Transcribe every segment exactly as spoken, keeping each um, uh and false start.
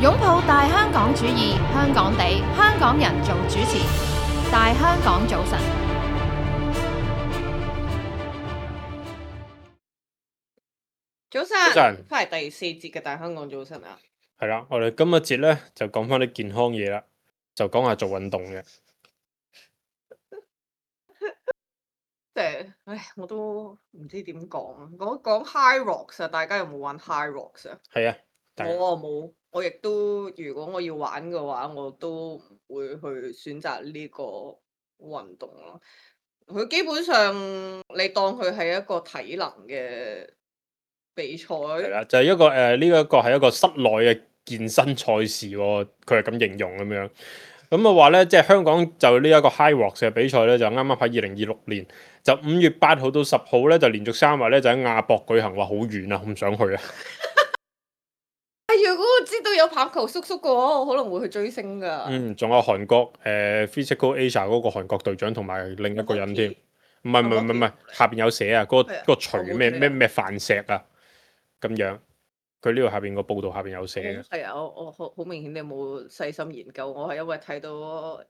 擁抱大香港主義，香港地，香港人做主持。大香港早晨，早晨，早晨翻嚟第四節嘅大香港早晨啊！係啦，我哋今日節咧就講翻啲健康嘢啦，就講下做運動嘅。即係，唉，我都唔知點講啊！講講 High Rocks 啊，大家有冇玩 High Rocks 啊？係啊，但係我啊冇，我亦都如果我要玩嘅話，我都唔會去選擇呢個運動咯。佢基本上你當佢係一個體能嘅比賽，係啦，就係、一個誒呢一個係一個室內嘅健身賽事喎，佢係咁形容咁樣。咁啊話咧，即係香港就呢一個 High Rocks 嘅比賽咧，就啱啱喺二零二六年就五月八號到十號咧，就連續三日咧就喺亞博舉行，話好遠啊，唔想去啊。哎，如果我知道有棒球叔叔嘅話，我可能會去追星噶。嗯，仲有韓國誒、呃、Physical Asia 嗰個韓國隊長同埋另一個人添，唔係唔係唔係唔係，下邊有寫啊，嗰、嗰個係啊嗰個徐咩我冇睇啊咩咩范石啊，咁樣。佢呢度下邊個報道下邊有寫嘅。係啊，我我好好明顯你有冇細心研究？我係因為睇到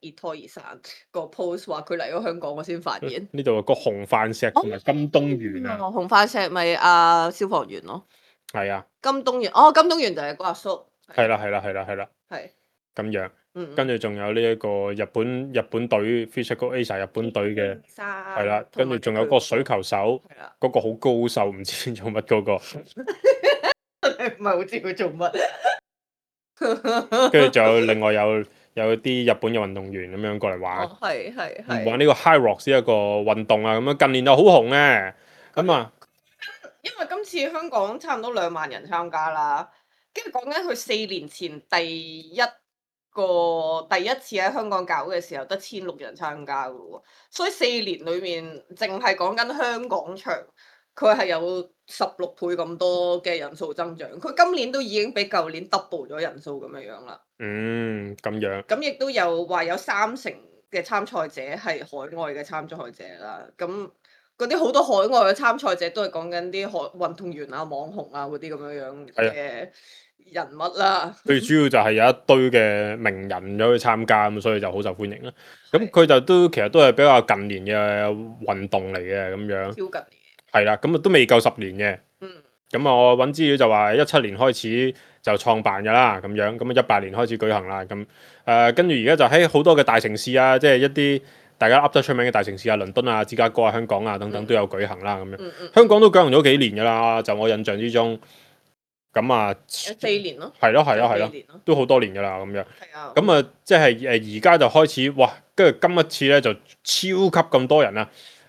熱拖熱散個 post 話佢嚟咗香港，我先發現。呢度有個紅範石同埋金東源啊，紅番石咪阿消防員咯，係啊，金東源哦，金東源就係個阿叔。係啦係啦係啦係啦，係，咁樣，嗯，跟住仲有呢一個日本日本隊 Physical Asia 日本隊嘅，係係啦，跟住仲有個水球手，係啦，嗰個好高瘦，唔知做乜嗰個，唔係好知佢做乜。跟住仲有另外有有啲日本嘅運動員咁樣過嚟玩，哦，係係係。玩呢個 High Rocks 呢一個運動啊，咁樣近年就好紅嘅，咁啊，因為今次香港差唔多兩萬人參加啦，跟住講緊佢四年前第一個第一次喺香港搞嘅時候得千六人參加嘅喎，所以四年裏面淨係講緊香港場，佢係有十六倍咁多嘅人數增長。佢今年都已經比舊年 double 咗人數咁樣樣啦。嗯，咁樣，咁亦都有話有三成嘅參賽者係海外嘅參賽者啦。咁嗰啲好多海外嘅參賽者都係講緊啲海運動員啊、網紅啊嗰啲咁樣樣嘅人物啦。最主要就係有一堆嘅名人咗去參加，咁所以就好受歡迎啦。咁佢就都其實都係比較近年嘅運動嚟嘅咁樣。超近年。係啦，咁啊都未夠十年嘅。嗯。咁啊，我揾資料就話一七年開始就創辦㗎啦，咁樣咁啊一八年開始舉行啦。咁誒跟住而家就喺好多嘅大城市啊，即係一啲大家噏得出名嘅大城市啊，倫敦啊、芝加哥啊、香港啊等等都有舉行啦。咁樣、嗯嗯、香港都舉行咗幾年㗎啦，就我印象之中。咁啊，四年咯，係咯係咯係咯，都好多年㗎啦咁樣。係啊。咁啊，即係誒而家就開始哇，跟住今一次咧就超級咁多人啊，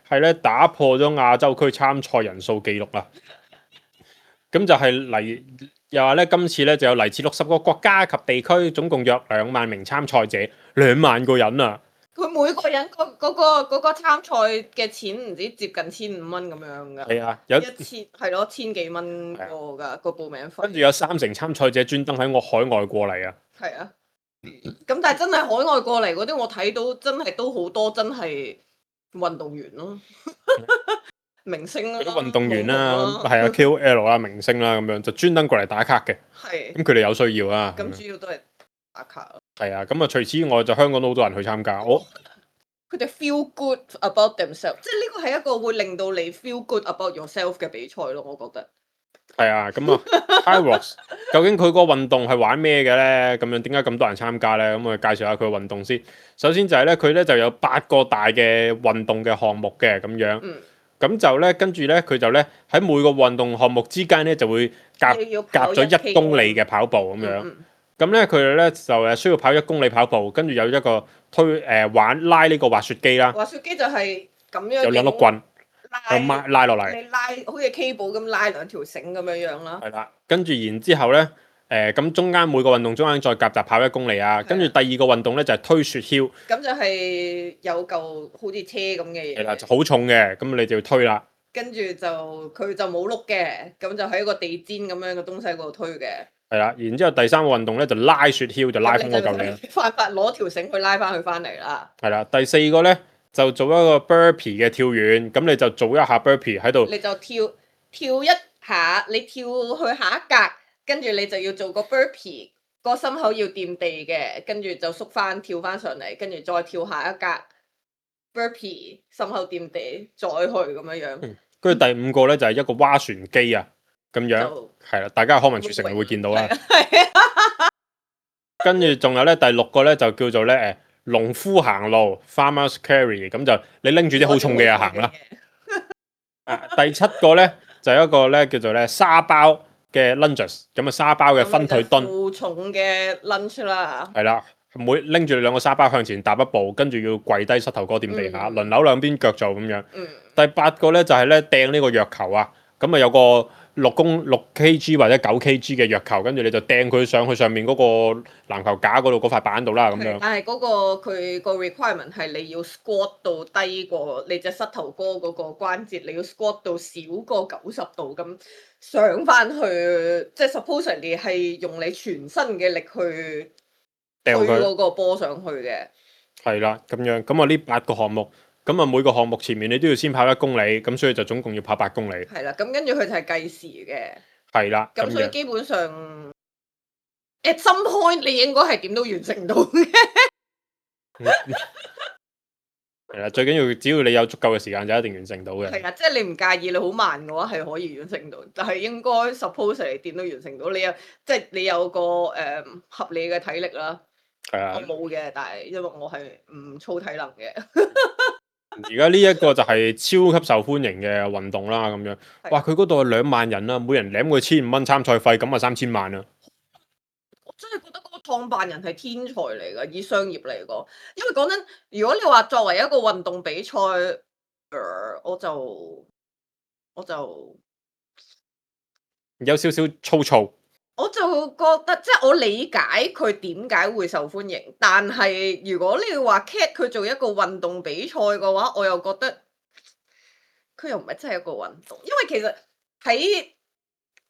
係咧打破咗亞洲區參賽人數記錄啦。咁就係嚟又話咧，今次咧就有嚟自六十個國家及地區，總共約兩萬名參賽者，兩萬個人啊！佢每個人嗰嗰個嗰個參賽嘅錢唔知接近千五蚊咁樣噶。係啊，有一千係咯，千幾蚊個㗎個報名費。跟住有三成參賽者專登喺我海外過嚟啊！係啊，咁但係真係海外過嚟嗰啲，我睇到真係都好多真係運動員咯。明星啦，啲運動員啦，係啊 K O L 啦、明星啦咁樣，就專登過嚟打卡嘅。係。咁佢哋有需要啊。咁主要都係打卡咯。係啊，咁啊，除此之外就香港都好多人去參加。我佢哋 feel good about themselves，即係呢個係一個會令到你 feel good about yourself 嘅比賽咯，我覺得。係啊，咁啊 High Rocks 究竟佢個運動係玩咩嘅咧？咁樣點解咁多人參加咧？咁我哋介紹下佢嘅運動先。首先就係咧，佢咧就有八個大嘅運動嘅項目嘅咁樣。嗯。咁就咧，跟住咧，佢就咧喺每個運動項目之間咧，就會夾夾咗一公里嘅跑步咁樣。咁咧，佢哋咧就誒需要跑一公里跑步，跟住有一個推誒、呃、玩拉呢個滑雪機啦。滑雪機就係咁樣。有兩碌棍，拉拉落嚟。你拉好似 cable 咁拉兩條繩咁樣樣啦。係啦，跟住然之後咧，誒、呃、咁中間每個運動中間再夾雜跑一公里啊。跟住第二個運動咧就係、是、推雪橇。咁就係有嚿好似車咁嘅嘢。係啦，就好重嘅，咁你就要推啦。跟住就佢就冇碌嘅，咁就喺一個地氈咁樣嘅東西嗰度推嘅。係啦，然之後第三個運動咧就拉雪橇，就拉翻嗰嚿嘢。快快攞條繩去拉翻佢翻嚟啦。係啦，第四個咧就做一個 burpee 嘅跳遠，咁你就做一下 burpee 喺度。你就跳跳一下，你跳去下一格，跟住你就要做個 burpee 個心口要掂地嘅，跟住就縮翻跳翻上嚟，跟住再跳下一格 burpee，心口掂地再去咁樣樣。嗯跟住第五個咧就係、是、一個划船機啊，咁樣就係啦，大家康文署成日會見到啦。係啊，跟住仲有咧第六個咧就叫做咧誒農夫行路 farmers carry， 咁就你拎住啲好重嘅嘢行啦。啊，第七個咧就有一個咧叫做咧沙包嘅 lunges，咁啊沙包嘅分腿蹲，負重嘅 lunge 啦。係啦，每拎住兩個沙包向前踏一步，跟住要跪低膝頭哥掂地下，嗯輪流兩邊腳做咁樣。嗯，第八個咧就係咧掟呢個藥球啊，咁啊有個六公六 kg 或者九 kg 嘅藥球，跟住你就掟佢上去上面嗰個籃球架嗰度嗰塊板度啦，咁樣。但係嗰、個佢個 requirement 係你要 squat 到低過你隻膝頭哥嗰個關節，你要 squat 到少過九十度咁上翻去，即係 supposedly 係用你全身嘅力去推掉佢嗰個波上去嘅。係啦，咁樣咁啊呢八個項目，咁啊每個項目前面你都要先跑一公里，咁所以就總共要跑八公里。係啦，咁跟住佢就係計時嘅。係啦，咁樣咁所以基本上 at some point 你應該係點都完成到嘅。係啦，最緊要只要你有足夠嘅時間就一定完成到嘅。係啊，即係你唔介意你好慢嘅話係可以完成到，但係應該 suppose 你點都完成到。你有即係你有個誒、呃、合理嘅體力啦。係啊我，冇嘅，但係因為我係唔操體能嘅。而家呢一個就係超級受歡迎嘅運動啦，咁樣。係哇，佢嗰度係兩萬人啦，每人攬佢千五蚊參賽費，咁啊三千萬啦。我真係覺得嗰個創辦人係天才嚟㗎，以商業嚟講。因為講真，如果你話作為一個運動比賽，呃我就我就有少少粗糙。我就覺得，即係我理解佢點解會受歡迎，但係如果你話 cat 佢做一個運動比賽嘅話，我又覺得佢又唔係真係一個運動，因為其實喺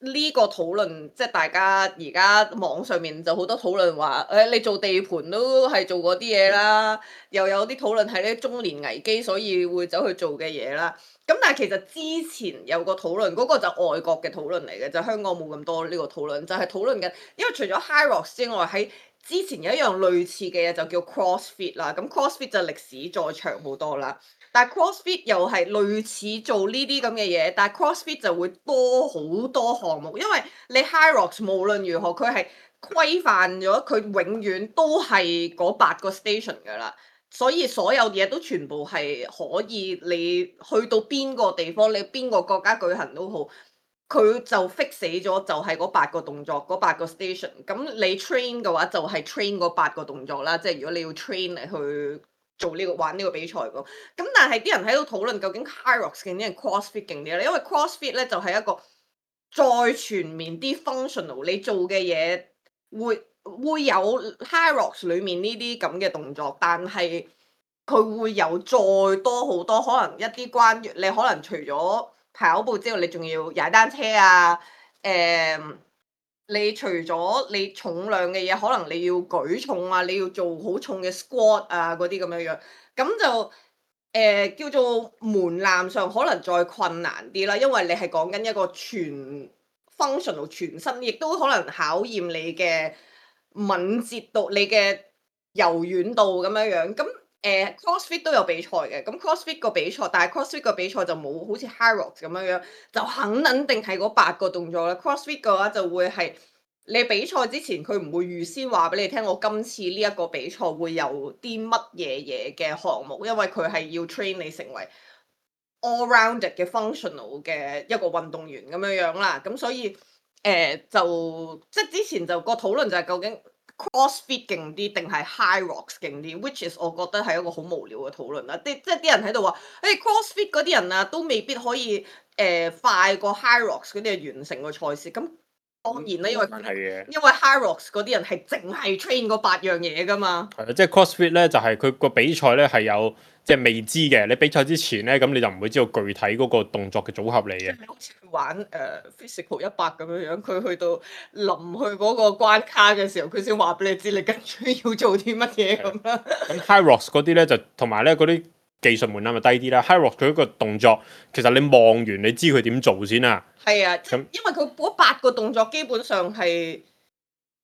呢個討論，即係大家而家網上面就好多討論話，誒、你做地盤都係做嗰啲嘢啦，又有啲討論係咧中年危機，所以會走去做嘅嘢啦。咁但係其實之前有個討論，嗰、個就外國嘅討論嚟嘅，就香港冇咁多呢個討論，就係討論緊，因為除咗 High Rocks 之外，喺之前有一樣類似嘅嘢就叫 CrossFit 啦。咁 CrossFit 就歷史再長好多啦。但係 CrossFit 又係類似做呢啲咁嘅嘢，但係 CrossFit 就會多好多項目，因為你 High Rocks 無論如何佢係規範咗，佢永遠都係嗰八個 station 㗎啦，所以所有嘢都全部係可以你去到邊個地方，你邊個國家舉行都好，佢就 fix 死咗就係嗰八個動作，嗰八個 station。咁你 train 嘅話就係 train 嗰八個動作啦，即係如果你要 train 嚟去做呢、個玩呢個比賽咁，咁但係啲人喺度討論究竟 High Rocks 勁啲定 CrossFit 勁啲咧？因為 CrossFit 咧就係、一個再全面啲 functional，你做嘅嘢會會有 High Rocks 裡面呢啲咁嘅動作，但係佢會有再多好多可能一啲關於你可能除咗跑步之外，你仲要踩單車啊，誒、你除咗你重量嘅嘢，可能你要舉重啊，你要做好重嘅 squat 啊嗰啲咁樣樣，咁就誒、叫做門檻上可能再困難啲啦，因為你係講緊一個全 functional 全身，亦都可能考驗你嘅敏捷度、你嘅柔軟度咁樣樣。咁誒、CrossFit 都有比賽嘅，咁 CrossFit 個比賽，但係 CrossFit 個比賽就冇好似 High Rocks 咁樣樣，就肯肯定係嗰八個動作啦。CrossFit 嘅話就會係你比賽之前，佢唔會預先話俾你聽，我今次呢一個比賽會有啲乜嘢嘢嘅項目，因為佢係要 train 你成為 all-rounded 嘅 functional 嘅一個運動員咁樣樣啦。咁所以誒、呃就即係之前就個討論就係究竟 CrossFit 勁啲定係 High Rocks 勁啲，which is 我覺得係一個好無聊嘅討論啦。啲即係啲人喺度話，誒 CrossFit 嗰啲人啊都未必可以誒、呃快過 High Rocks 嗰啲人完成個賽事。咁當然啦，因為係嘅。因為 High Rocks 嗰啲人係淨係 train 嗰八樣嘢噶嘛。係啊，即係 CrossFit 咧，就係佢個比賽咧係有即係未知嘅。你比賽之前咧，咁你就唔會知道具體嗰個動作嘅組合嚟嘅。你好似玩誒、呃 physical 一百咁樣樣，佢去到臨去嗰個關卡嘅時候，佢先話俾你知你跟住要做啲乜嘢咁啦。咁 High Rocks 嗰啲咧就同埋咧嗰啲技術門檻咪低啲啦。High Rocks 佢嗰個動作其實你望完你知佢點做先啊。係啊，即咁因為佢嗰八個動作基本上係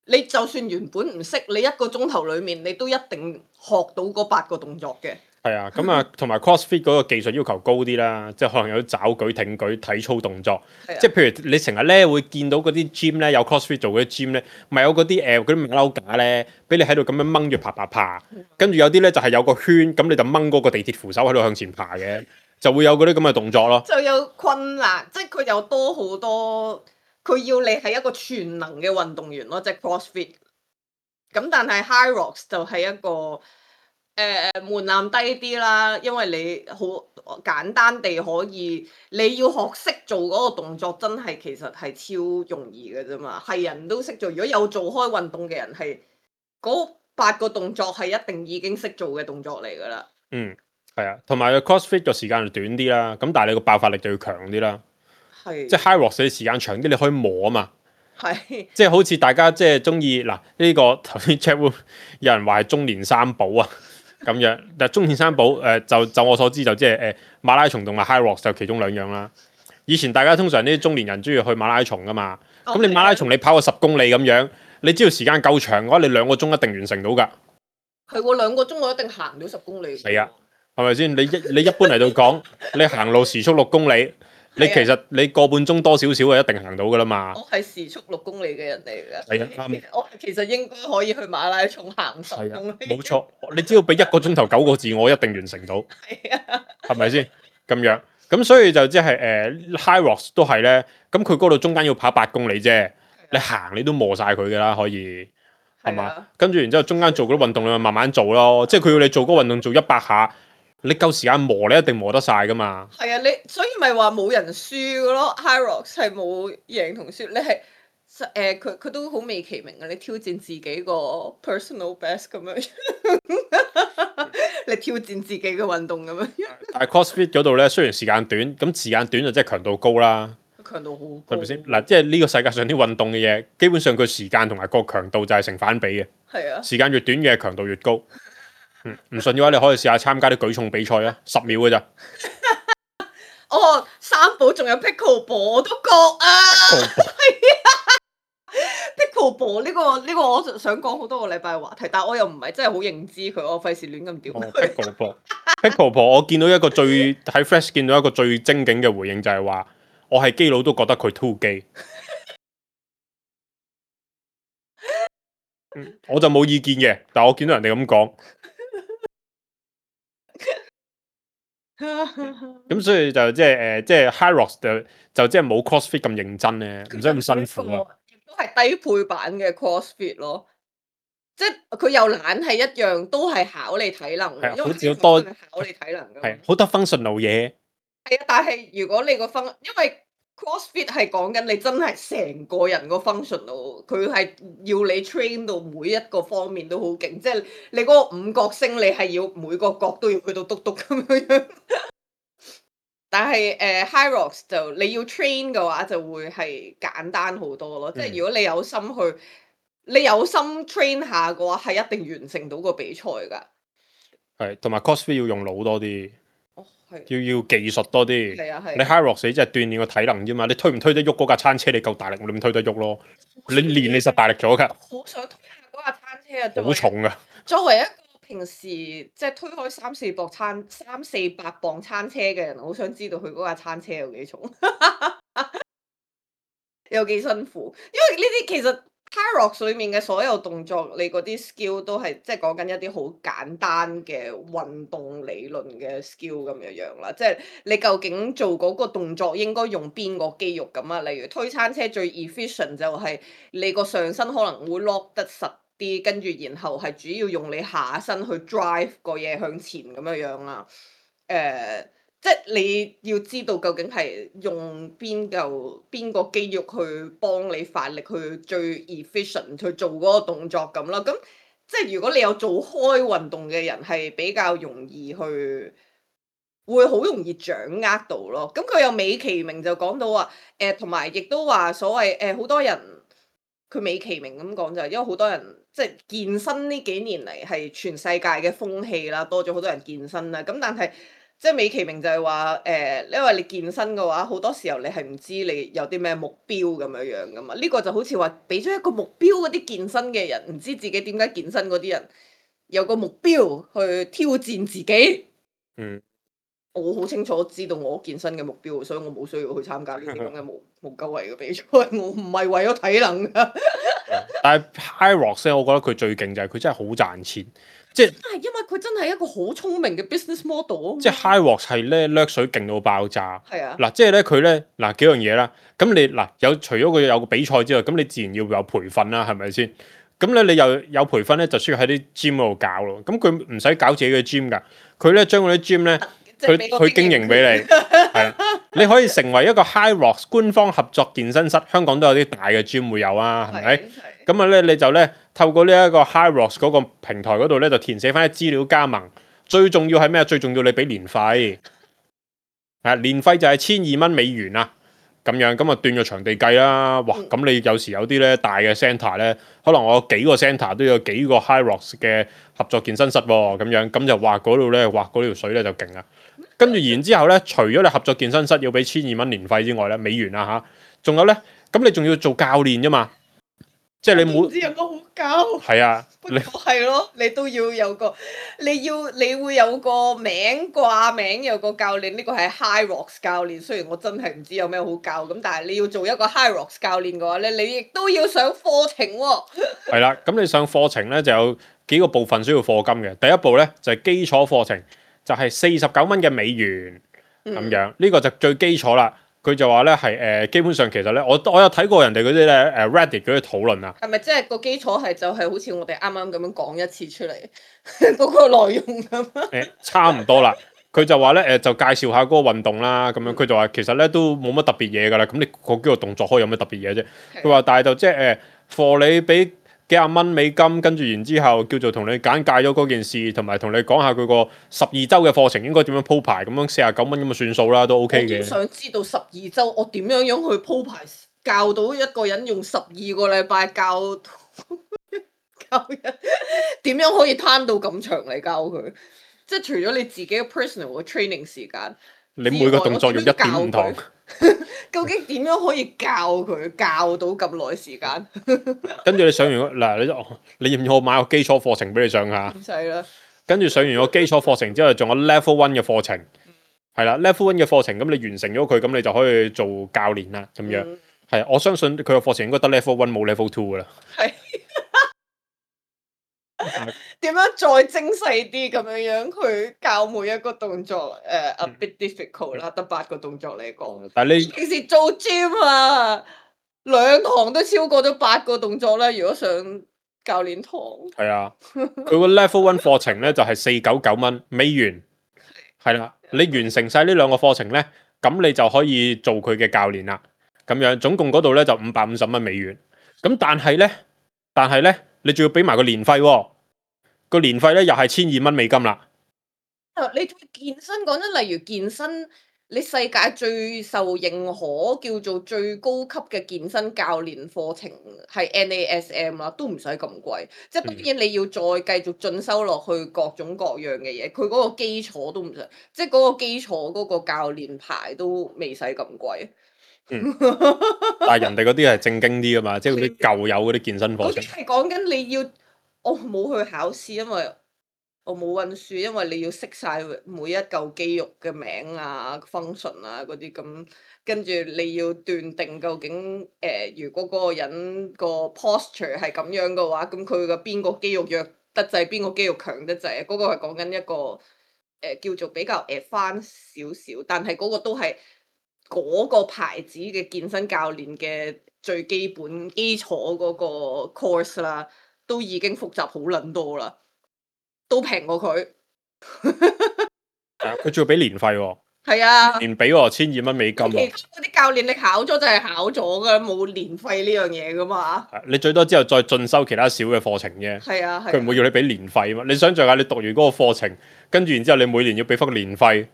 你就算原本唔識，你一個鐘頭裡面你都一定學到嗰八個動作嘅。係啊，咁啊，同埋 CrossFit 嗰個技術要求高啲啦，即係可能有抓舉、挺舉、體操動作。係啊即係譬如你成日咧會見到嗰啲 gym 咧有 CrossFit 做嗰啲 gym 咧，咪有嗰啲誒嗰啲馬騮架咧，俾你喺度咁樣掹住爬爬爬，跟住有啲咧就係有個圈，咁你就掹嗰個地鐵扶手喺度向前爬嘅，就會有嗰啲咁嘅動作咯。就有困難，即係佢有多好多，佢要你係一個全能嘅運動員咯，即係 CrossFit。咁但係 High Rocks 就係一個誒、呃、門檻低啲啦，因為你好簡單地可以，你要學識做嗰個動作，真係其實係超容易嘅啫嘛，係人都識做。如果有做開運動嘅人，係嗰八個動作係一定已經識做嘅動作嚟㗎啦。嗯，係啊，同埋 CrossFit 個時間就短啲啦，咁但係你個爆發力就要強啲啦。係即係 High Rocks 你時間長啲，你可以磨啊嘛。係即係好似大家即係中意嗱呢個頭先 chat room 有人話係中年三寶啊咁樣，但係中年三寶誒、呃、就就我所知就即係誒馬拉松同埋 High Rocks 就其中兩樣啦。以前大家通常呢啲中年人中意去馬拉松噶嘛，咁、哦你馬拉松你跑個十公里咁樣，你只要時間夠長嘅話，你兩個鐘一定完成到㗎，係喎，兩個鐘我一定行到十公里。係啊，係咪先？你一你一般嚟到講，你行路時速六公里。你其實你個半鐘多少少就一定行到㗎啦嘛。我係時速六公里嘅人嚟㗎。係啊，啱。我其實應該可以去馬拉松行十係啊公里。冇錯，你只要俾一個鐘頭九個字，我一定完成到。係啊，係咪先咁樣？咁所以就即係誒 High Rocks 都係咧，咁佢嗰度中間要跑八公里啫，你行你都磨晒佢㗎啦，可以係嘛？係啊，跟住然之後中間做嗰啲運動你咪慢慢做咯，即係佢要你做嗰個運動做一百下，你夠時間磨你一定磨得晒㗎嘛。係啊，你所以咪話冇人輸㗎咯。High Rocks 係冇贏同輸，你係誒佢佢都好美其名嘅，你挑戰自己個 personal best 咁樣，你挑戰自己嘅運動咁樣。但係 CrossFit 嗰度咧，雖然時間短，咁時間短就即係強度高啦。強度好高，係咪先？嗱，即係呢個世界上啲運動嘅嘢，基本上佢時間同埋個強度就係成反比嘅。係啊，時間越短嘅強度越高。嗯，唔信嘅話，你可以試下參加啲舉重比賽啊，十秒嘅咋。哦，三寶仲有 pickleball 我都覺啊，係啊，pickleball 呢個呢個我想講好多個禮拜嘅話題，但係我又唔係真係好認知佢，我費事亂咁屌哦佢。 ，pickleball，pickleball，我見到一個最喺 Flash 見到一個最精警嘅回應就係話，我係基佬都覺得佢 too 基。嗯，我就冇意見嘅，但係我見到人哋咁講。咁所以就即係誒，即係 High Rocks 就就即係冇 CrossFit 咁認真咧，唔使咁辛苦啊。亦都係低配版嘅 CrossFit 咯，即係佢又懶係一樣，都係考你體能嘅，係啊好因為似多係考你體能㗎嘛。係好得 functional 嘢。係啊，但係如果你個 function，因為 CrossFit 係講緊你真係成個人個 functional，佢係要你 train 到每一個方面都好勁，即係你嗰個五角星，你係要每個角都要去到篤篤咁樣樣。但係誒、呃、High Rocks 就你要 train 嘅話，就會係簡單好多咯。即係如果你有心去，你有心 train 下嘅話，係一定完成到個比賽㗎。係，同埋 CrossFit 要用腦多啲。哦，係。要要技術多啲，係啊係啊你 High Rocks 你即係鍛鍊個體能啫嘛，你推唔推得喐嗰架餐車，你夠大力，你咪推得喐咯。你練你實大力咗㗎，好想推下嗰架餐車啊！作為好重㗎。作為一個平時即係推開三四磅餐三四百磅餐車嘅人，好想知道佢嗰架餐車有幾重，有幾辛苦。因為呢啲其實 High Rocks 裏面嘅所有動作，你嗰啲 skill 都係即係講緊一啲好簡單嘅運動理論嘅 skill 咁樣樣啦。即係你究竟做嗰個動作應該用邊個肌肉咁啊？例如推餐車最 efficient 就係你個上身可能會 lock 得實啲，跟住然後係主要用你下身去 drive 個嘢向前咁樣樣啦。誒、呃，即係你要知道究竟係用邊嚿邊個肌肉去幫你發力去最 efficient 去做嗰個動作咁啦。咁即係如果你有做開運動嘅人，係比較容易去，會好容易掌握到咯。咁佢又美其名就講到話，誒同埋亦都話所謂誒好多人。佢美其名咁講就係，因為好多人即係健身呢幾年嚟係全世界嘅風氣啦，多咗好多人健身啦。咁但係即係美其名就係話誒，因為你健身嘅話，好多時候你係唔知你有啲咩目標咁樣樣噶嘛。呢、個就好似話俾咗一個目標嗰啲健身嘅人，唔知自己點解健身嗰啲人有個目標去挑戰自己。嗯，我好清楚知道我健身嘅目標，所以我冇需要去參加呢啲咁嘅無無鳩位嘅比賽。我唔係為咗體能㗎。但係 High Rocks 咧，我覺得佢最勁就係佢真係好賺錢，即係但係因為佢真係一個好聰明嘅 business model 啊嘛。即係 High Rocks 係咧掠水勁到爆炸。係啊，嗱，即係咧佢咧嗱幾樣嘢啦。咁你嗱有除咗佢有個比賽之外，咁你自然要有培訓啦，係咪先？咁咧你又有培訓咧，就需要喺啲 gym 嗰度搞咯。咁佢唔使搞自己嘅 gym 㗎，佢咧將嗰啲 gym 咧。佢佢經營俾你，係你可以成為一個 High Rocks 官方合作健身室，香港都有啲大嘅 gym 會有啊，係咪？咁啊咧，你就咧透過呢一個 High Rocks 嗰個平台嗰度咧，就填寫翻啲資料加盟。最重要係咩？最重要你俾年費，係年費就係千二蚊美元啊，咁樣咁啊斷咗場地計啦。哇！咁你有時有啲咧大嘅 centre 咧，可能我有幾個 centre 都有幾個 High Rocks 嘅合作健身室喎，咁樣咁就話嗰度咧，哇嗰條水咧就勁啦。跟住然之後咧，除咗你合作健身室要俾千二蚊年費之外咧，美元啊嚇，仲有咧，咁你仲要做教練啫嘛，即係你冇唔知有冇好教？係啊，你係咯，你都要有個，你要你會有個名掛名，有個教練，呢個係 High Rocks 教練。雖然我真係唔知有咩好教，咁但係你要做一個 High Rocks 教練嘅話咧，你亦都要上課程喎。係啦，咁你上課程咧就有幾個部分需要課金嘅。第一步咧就係基礎課程。就係四十九蚊嘅美元咁樣，呢、嗯、個就最基礎啦。佢就話咧係誒，基本上其實咧，我我有睇過人哋嗰啲咧誒 Reddit 嗰啲討論啊。係咪即係個基礎係就係好似我哋啱啱咁樣講一次出嚟嗰個內容咁？誒，差唔多啦。佢就話咧誒，就介紹下嗰個運動啦，咁樣佢就話其實咧都冇乜特別嘢㗎啦。咁你嗰幾個動作可以有咩特別嘢啫？佢話但係就即係誒，for 你俾幾廿蚊美金，跟住然之後叫做同你簡介咗嗰件事，同埋同你講下佢個十二週嘅課程應該點樣鋪排，咁樣四十九蚊咁就算數啦，都 OK 嘅。我想知道十二週我點樣樣去鋪排，教到一個人用十二個禮拜教教人點樣可以攤到咁長嚟教佢？即係除咗你自己嘅 personal 嘅 training 時間，你每個動作用一點五堂。究竟點樣可以教佢教到咁耐時間？跟住你上完嗱，你你要唔要我買個基礎課程俾你上下？唔使啦。跟住上完個基礎課程之後，仲有 level one 嘅課程，係啦 level one 嘅課程，咁你完成咗佢，咁你就可以做教練啦。咁樣係、嗯，我相信佢個課程應該得 level one 冇 level two 噶啦。係。點樣再精細啲咁樣樣去教每一個動作？誒、uh, ，a bit difficult 啦，得八個動作嚟講。但係你平時做 gym 啊，兩堂都超過咗八個動作啦。如果上教練堂，係啊，佢個 level one 課程咧就係四九九蚊美元，係啦。你完成晒呢兩個課程咧，咁你就可以做佢嘅教練啦。咁樣總共嗰度咧就五百五十蚊美元。咁但係咧，但係咧，你仲要俾埋個年費喎、哦。個年費咧又係千二蚊美金啦。你健身講真，例如健身，你世界最受認可叫做最高級嘅健身教練課程係 N A S M 啦，都唔使咁貴。即係當然你要再繼續進修落去各種各樣嘅嘢，佢嗰個基礎都唔使，即係嗰個基礎嗰個教練牌都未使咁貴。嗯，但係人哋嗰啲係正經啲㗎嘛，即係嗰啲舊有嗰啲健身課程。係講緊你要。我冇去考試，因為我冇溫書，因為你要識晒每一嚿肌肉嘅名啊、function 啊嗰啲咁，跟住你要斷定究竟誒、呃，如果嗰個人個 posture 係咁樣嘅話，咁佢嘅邊個肌肉弱得滯，邊個肌肉強得滯，嗰、嗰個係講緊一個誒、呃、叫做比較 advanced 少少，但係嗰個都係嗰個牌子嘅健身教練嘅最基本基礎嗰個 course 啦。都已經複雜好撚多啦，都平過佢。佢仲要俾年費喎。係啊，年俾喎，千二蚊美金。其他嗰啲教練你考咗就係考咗噶，冇年費呢樣嘢噶嘛。你最多之後再進修其他小嘅課程啫。係啊，佢唔會要你俾年費嘛？你想象下，你讀完嗰個課程，跟住然之後你每年要俾翻個年費，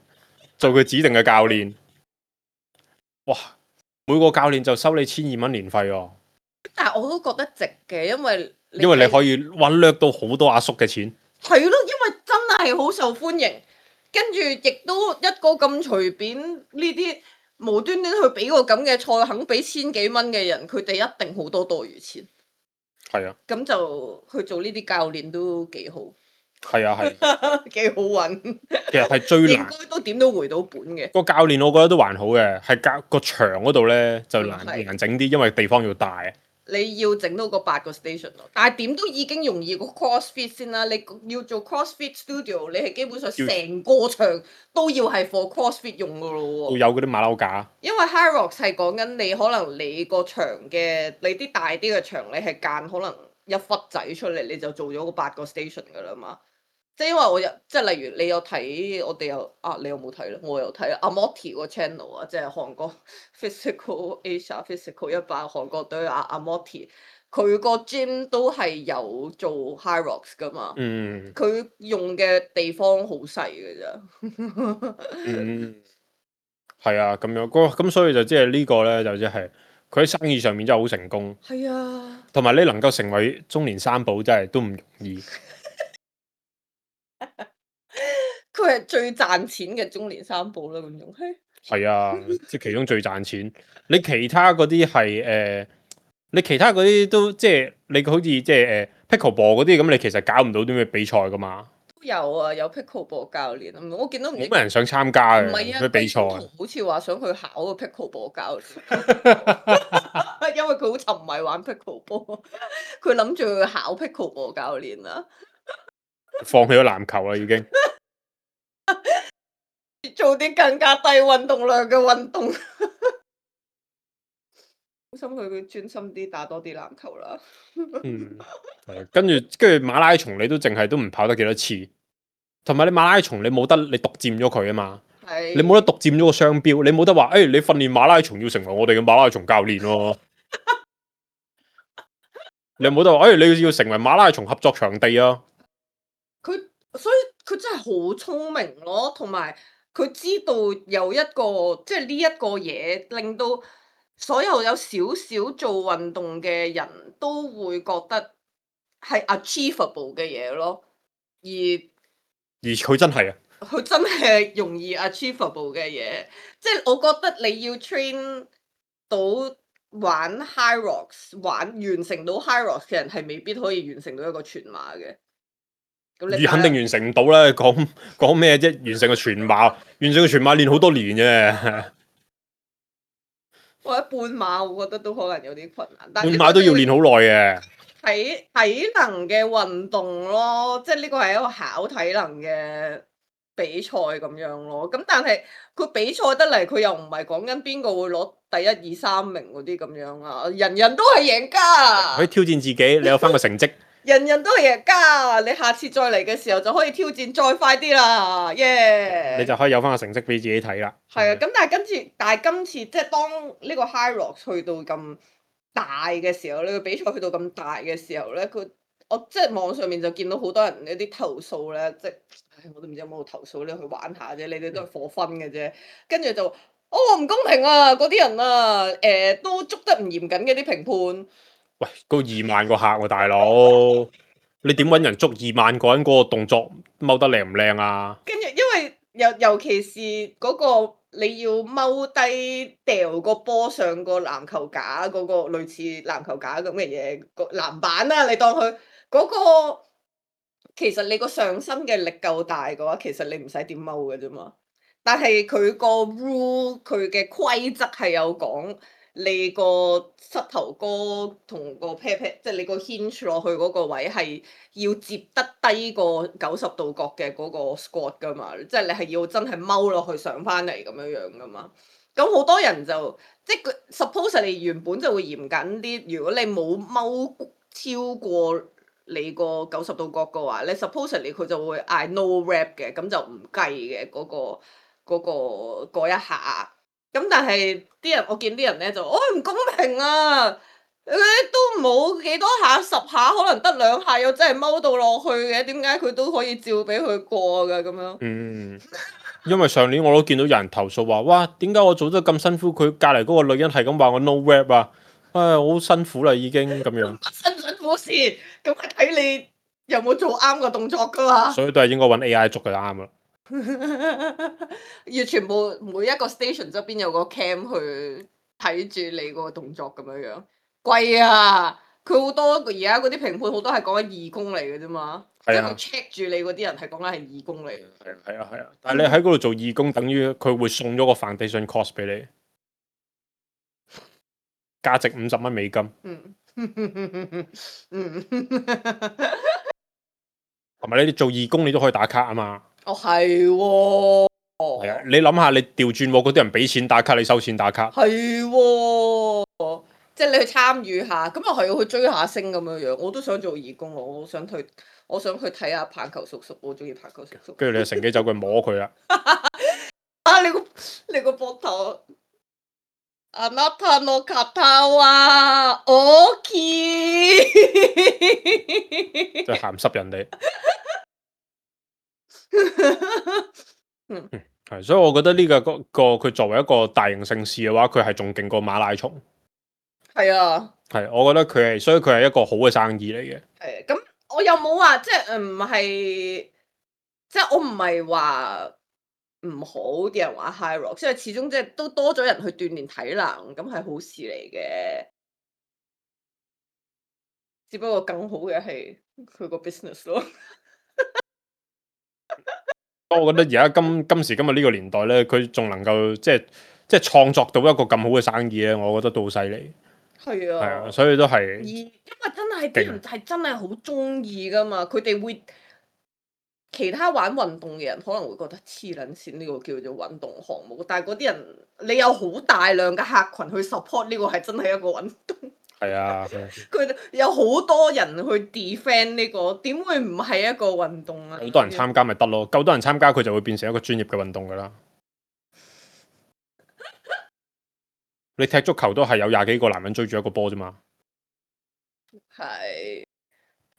做佢指定嘅教練。哇！每個教練就收你千二蚊年費喎。但係我都覺得值嘅，因為因為你可以揾掠到好多阿叔嘅錢。係咯，因為真係好受歡迎。跟住亦都一個咁隨便呢啲無端端去俾個咁嘅菜，肯俾千幾蚊嘅人，佢哋一定好多多餘錢。係啊，咁就去做呢啲教練都幾好，係啊，係。幾好揾。其實係最應難該都點都回到本嘅。個教練，我覺得都還好嘅，係教個場嗰度咧就難嗯係難整啲，因為地方要大。你要整到個八個 station 咯，但係點都已經容易過 CrossFit 先啦。你要做 CrossFit Studio，你係基本上成個場都要係 for CrossFit 用噶咯喎。要有嗰啲馬騮架。因為 Hyrox 係講緊你可能你個場嘅你啲大啲嘅場，你係間可能一忽仔出嚟，你就做咗個八個 station 噶啦嘛。即係因為我有即係例如你有睇我哋有啊，你有冇睇咧？我有睇阿 Morty 個 channel 啊，即係韓國 Physical Asia Physical 一百韓國隊阿阿 Morty，佢個 gym 都係有做 Hyrox 噶嘛。嗯佢用嘅地方好細嘅咋。嗯，係啊，咁樣嗰咁所以就即係呢個咧就即係佢喺生意上面真係好成功，係啊，同埋你能夠成為中年三寶真係都唔容易。佢係最賺錢嘅中年三寶啦，咁樣。嘿係啊，即係其中最賺錢。你其他嗰啲係誒，你其他嗰啲都即係你好似即係誒 pickleball 嗰啲咁，你其實搞唔到啲咩比賽噶嘛。都有啊，有 pickleball 教練啊，我見到唔知冇乜人想參加嘅唔係啊，嗰啲比賽。好似話想去考個 pickleball 教練，因為佢好沉迷玩 pickleball，佢諗住去考 pickleball 教練啊，放棄咗籃球啦已經。做啲更加低運動量嘅運動。好心佢佢專心啲打多啲籃球啦。嗯，係跟住跟住馬拉松你都淨係都唔跑得幾多次，同埋你馬拉松你冇得你獨佔咗佢啊嘛，係你冇得獨佔咗個商標，你冇得話誒、哎、你訓練馬拉松要成為我哋嘅馬拉松教練喎，你冇得話誒、哎、你要成為馬拉松合作場地啊。佢所以佢真係好聰明咯，同埋佢知道有一個即係呢一個嘢，令到所有有少少做運動嘅人都會覺得係 achievable 嘅嘢咯，而而佢真係啊，佢真係容易 achievable 嘅嘢，即係我覺得你要 train 到玩 Hyrox 玩完成到 Hyrox 嘅人係未必可以完成到一個全馬嘅。咁你而肯定完成唔到啦，講講咩啫？完成個全馬，完成個全馬練好多年嘅，或者半馬，我覺得都可能有啲困難。但係半馬都要練好耐嘅。體體能嘅運動咯，即係呢個係一個考體能嘅比賽咁樣咯。咁但係佢比賽得嚟，佢又唔係講緊邊個會攞第一二三名嗰啲咁樣啊，人人都係贏家。可以挑戰自己，你有翻個成績。人人都係贏家，你下次再嚟嘅時候就可以挑戰再快啲啦，耶、yeah!！你就可以有翻個成績俾自己睇啦。係啊，咁但係今次，但係今次即係當呢個 Hyrox 去到咁大嘅時候，呢個比賽去到咁大嘅時候咧，佢我即係網上面就見到好多人有啲投訴咧，即係唉我都唔知有冇投訴咧，去玩下啫，你哋都係火分嘅啫，跟住就哦唔公平啊！嗰啲人啊，誒、呃、都捉得唔嚴謹嘅啲評判。喂，嗰二萬個客喎、啊，大佬，你點揾人捉二萬個人嗰個動作踎得靚唔靚啊？跟住，因為尤尤其是嗰個你要踎低掉個波上個籃球架嗰、嗰個類似籃球架咁嘅嘢個籃板啦、啊，你當佢嗰、嗰個其實你個上身嘅力夠大嘅話，其實你唔使點踎嘅啫嘛。但係佢個 rule 佢嘅規則係有講。你個膝頭哥同個 pat pat，即係你個 hinge 落去嗰個位係要接得低過九十度角嘅嗰個 squat 噶嘛，即係你係要真係踎落去上翻嚟咁樣樣噶嘛。咁好多人就即係佢 suppose 你原本就會嚴謹啲，如果你冇踎超過你個九十度角嘅話，你 suppose 你佢就會嗌 no rep 嘅，咁就唔計嘅嗰個嗰個嗰一下。咁但係啲人，我見啲人咧就，哦唔公平啊！佢都冇幾多下，十下可能得兩下，又真係踎到落去嘅，點解佢都可以照俾佢過㗎咁樣？嗯，因為上年我都見到有人投訴話，哇，點解我做得咁辛苦，佢隔離嗰個女人係咁話我 no rap 啊！唉，我好辛苦啦已經咁樣。辛唔辛苦事，咁係睇你有冇做啱個動作㗎嘛。所以都係應該揾 A I 捉佢啱啦。要全部每一個 station 側邊有個 cam 去睇住你個動作咁樣樣，貴啊！佢好多而家嗰啲評判好多係講緊義工嚟嘅啫嘛，即係佢 check 住你嗰啲人係講緊係義工嚟嘅。係啊係啊係啊，但係你喺嗰度做義工，等於佢會送咗個 foundation cost 俾你，價值五十蚊美金。嗯嗯，同埋你哋做義工，你都可以打卡啊嘛。哦係喎，係啊，你諗下，你調轉喎，嗰啲人俾錢打卡，你收錢打卡。係喎，即係你去參與下，咁又係要去追下星咁樣樣。我都想做義工，我好想去，我想去睇下棒球叔叔，我中意棒球叔叔。跟住你就乘機走過去摸佢啦。啊！你個你個膊頭。あなたの肩は大きい，即係鹹濕人哋。嗯，係，所以我覺得呢、個個個佢作為一個大型盛事嘅話，佢係仲勁過馬拉松。係啊，係，我覺得佢係，所以佢係一個好嘅生意嚟嘅。係咁，我又冇話即係唔係，即係我唔係話唔好啲人玩 high rock，即係始終即係都多咗人去鍛鍊體能，咁係好事嚟嘅。只不過更好嘅係佢個 business 咯。我覺得而家今今時今日呢個年代咧，佢仲能夠即係即係創作到一個咁好嘅生意咧，我覺得都好犀利。係係啊，啊，所以都係而因為真係啲人係真係好中意噶嘛，佢哋會其他玩運動嘅人可能會覺得黐撚線呢個叫做運動項目，但係嗰啲人你有好大量嘅客群去 support 呢個係真係一個運動。係啊，佢哋有好多人去 defend 呢個，點會唔係一個運動啊？好多人參加咪得咯，夠多人參加佢就會變成一個專業嘅運動噶啦。你踢足球都係有廿幾個男人追住一個波啫嘛。係，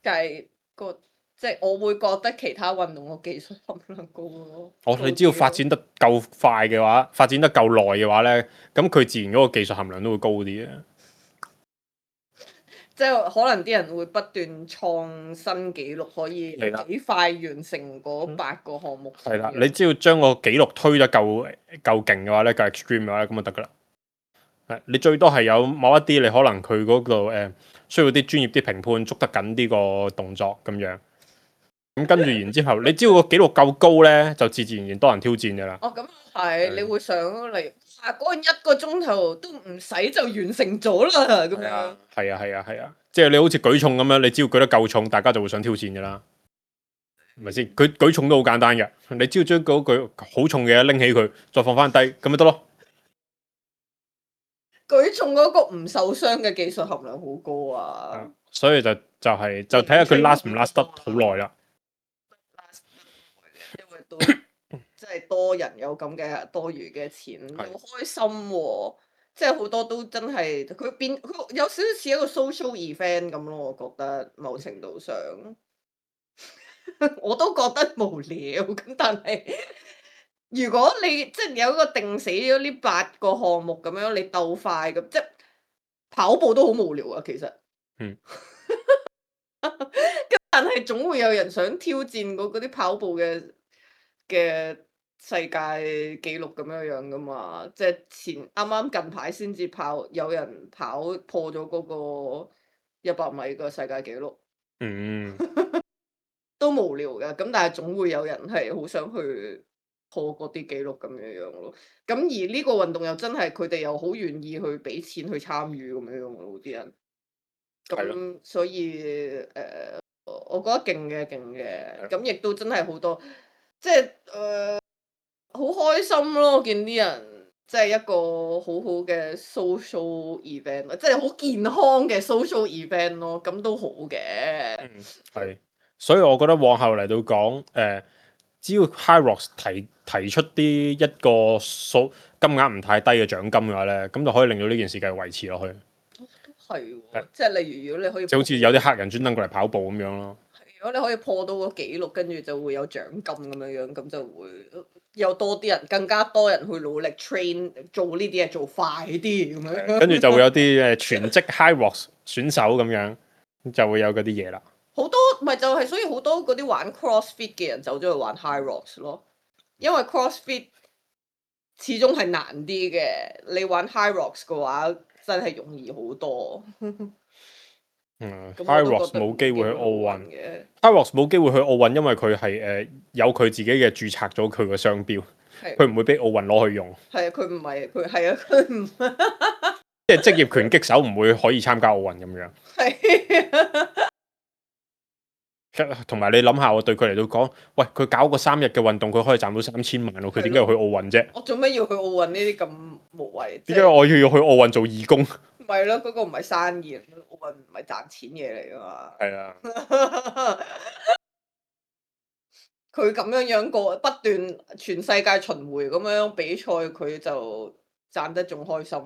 但係個即係我會覺得其他運動個技術含量高咯。哦，你只要發展得夠快嘅話，發展得夠耐嘅話咧，咁佢自然嗰個技術含量都會高啲嘅。即係可能啲人會不斷創新紀錄，可以幾快完成嗰八個項目。係啦，你只要將個紀錄推得夠夠勁嘅話咧，夠 extreme 嘅話咧，咁就得噶啦。係，你最多係有某一啲你可能佢嗰度誒需要啲專業啲評判捉得緊呢個動作咁樣。咁跟住然之後，你只要個紀錄夠高咧，就自自然然多人挑戰噶啦。哦，咁係，你會想嚟啊？嗰一個鐘頭都唔使就完成咗啦，咁樣。係啊係啊係啊，即係你好似舉重咁樣，你只要舉得夠重，大家就會想挑戰噶啦，係咪先？舉舉重都好簡單嘅，你只要將嗰句好重嘅嘢拎起佢，再放翻低，咁咪得咯。舉重嗰個唔受傷嘅技術含量好高啊！所以就就係、是、就睇下佢 last 唔 last 得好耐啦。因為都即係多人有咁嘅多餘嘅錢，好開心喎、啊！即係好多都真係佢變佢有少少似一個 social event 咁咯，我覺得某程度上我都覺得無聊咁，但係如果你即係有一個定死咗呢八個項目咁樣，你鬥快咁，即係跑步都好無聊啊，其實。嗯。但係總會有人想挑戰嗰啲跑步嘅嘅世界紀錄咁樣樣噶嘛？即係前啱啱近排先至跑，有人跑破咗嗰個一百米嘅世界紀錄。嗯，都無聊嘅，咁但係總會有人係好想去破嗰啲紀錄咁樣樣咯。咁而呢個運動又真係佢哋又好願意去俾錢去參與咁樣樣咯，啲人。咁所以誒。呃我覺得勁嘅，勁嘅，咁亦都真係好多，即係誒好開心咯！見啲人即係一個好好嘅 social event，即係好健康嘅 social event 咯，咁都好嘅。嗯，係，所以我覺得往後嚟到講，誒、呃，只要 HYROX 提提出啲一,一個數金額唔太低嘅獎金嘅話咧，咁就可以令到呢件事繼續維持落去。係喎，即係例如如果你可以，就好似有啲黑人專登過嚟跑步咁樣咯。如果你可以破到個紀錄，跟住就會有獎金咁樣樣，咁就會有多啲人，更加多人去努力 train 做呢啲嘢，做快啲咁樣。跟住就會有啲誒全職 HYROX 選手咁樣，就會有嗰啲嘢啦。好多咪就係、是，所以好多嗰啲玩 CrossFit 嘅人走咗去玩 HYROX 咯。因為 CrossFit 始終係難啲嘅，你玩 High Rocks 嘅話真係容易好多。嗯咁我，High 都 Rocks 覺得冇機會去奧運嘅， ，High Rocks 冇機會去奧運，因為佢係誒有佢自己嘅註冊咗佢個商標，係佢唔會俾奧運攞去用。係啊，佢唔係佢係啊，佢唔即係職業拳擊手唔會可以參加奧運咁樣。係同埋你諗下，我對佢嚟到講，喂，佢搞個三日嘅運動，佢可以賺到三千萬喎，佢點解要去奧運啫？我做咩要去奧運呢啲咁無謂？點解我要要去奧運做義工？唔係咯，嗰個唔係生意，奧運唔係賺錢嘢嚟噶嘛。係啊，佢咁樣樣過不斷全世界巡迴咁樣比賽，佢就賺得仲開心。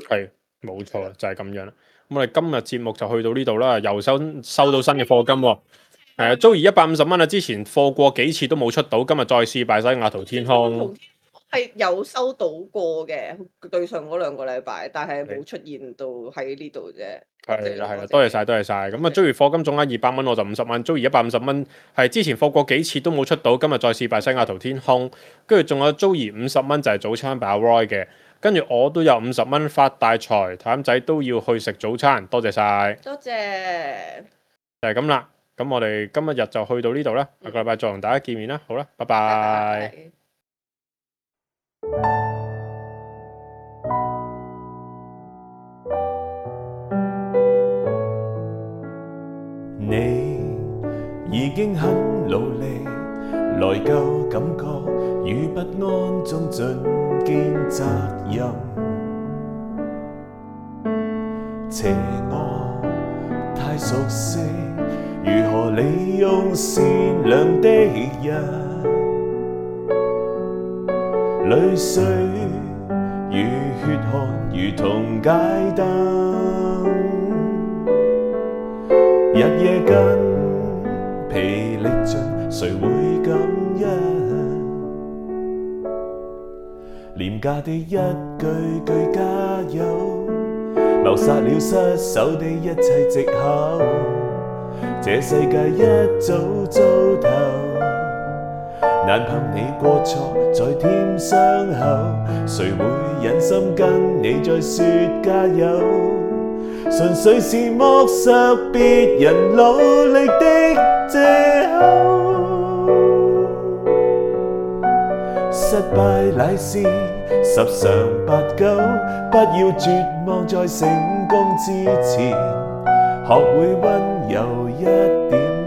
係冇錯，就係咁樣啦。咁我哋今日節目就去到呢度啦，又收收到新嘅課金喎。係啊，Joey 一百五十蚊啊！之前課過幾次都冇出到，今日再試拜西雅圖天空。係有收到過嘅，對上嗰兩個禮拜，但係冇出現到喺呢度啫。係啦係啦，多謝晒多謝晒。咁啊，Joey 課金總額二百蚊，我就五十蚊。Joey 一百五十蚊係之前課過幾次都冇出到，今日再試拜西雅圖天空。跟住仲有 Joey 五十蚊就係早餐俾阿 Roy 嘅，跟住我都有五十蚊發大財，譚仔都要去食早餐，多謝晒。多謝。就係咁啦。咁我哋今日日就去到呢度啦，下個禮拜再同大家見面啦。好啦，拜拜。拜拜。你已經很努力，內疚感覺與不安中盡肩責任，邪惡太熟悉，如何利用善良的人，淚水與血汗如同街燈，日夜筋疲力盡，誰會感恩？廉價的一句句加油，謀殺了失手的一切藉口。這世界一早糟透，難憑你過錯再添傷口，誰會忍心跟你再說加油？純粹是剝削別人努力的藉口。失敗乃是十常八九，不要絕望在成功之前，學會溫柔一點。